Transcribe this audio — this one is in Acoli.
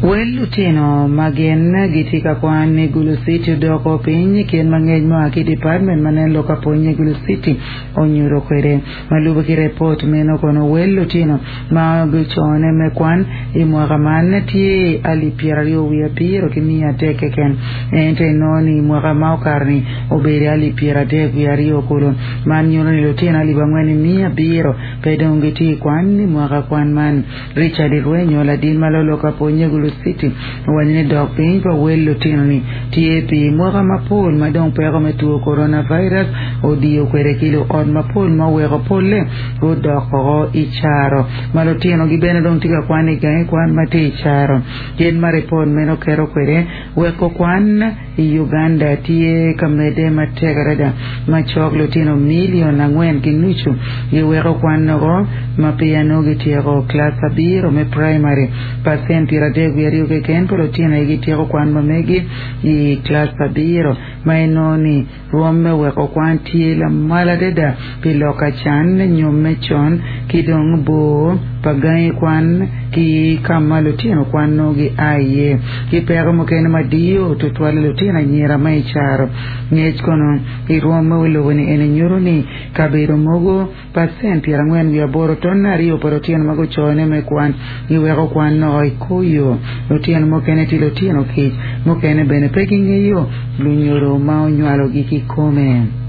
Wel lutino ma gin gitye ka kwan i Gulu City odoko piny kit ma ngec mua ki i department ma nen lok ka pwonye i Gulu City onyuto kwede. Ma lube ki repot meno kono wel lutino ma gucone me kwan i mwaka man tye alip pyeraryo wiye abiro ki miya adek keken ento inongo ni i mwaka ma okato-ni obedo alip pyeradek wiye aryo kulu. Man nyuto ni lutino alip angwen ki miya abiro pe dong gitye i kwan i mwaka kwan man. Richard Irwenyo, ladit ma lolo ka pwonye i Gulu City, owaco ni dok piny pa wel lutino-ni tye pi mwaka mapol ma dong peko me two coronavirus odiyo kwede ki luot mapol ma oweko polle gudok oko i caro ma lutinogi bene dong tye ka kwan i gangi kwan ma tye i caro. Kit ma ripot meno keto kwede, weko kwan i Uganda tye ka medde matek adada ma cok lutino milion angwen ki nucu giweko kwan oko ma peya nongo gityeko kilac abiro me praimari. Pacent 32 keken pa lutino aye gityeko kwan ma megi i kilac abiro ma inongo ni Rwom me weko kwan tye lamal adada pi lok acan, nyomme con, ki dong bor pa gangi kwan ki ka ma lutino kwan nongo gia iye. Ki peko mukene ma diyo tutwalle lutino anyira ma i caro. Ngec kono i rwom me wi lobo-ni eni nyuto ni kabedo mogo Pacent pyerangwen wiye aboro tonne aryo pa lutino ma gucone me kwan giweko kwan noko i kor yo. Lutino mukene tye lutino kic, mukene bene pe gingeyo lunyodo ma onywalogi kikome.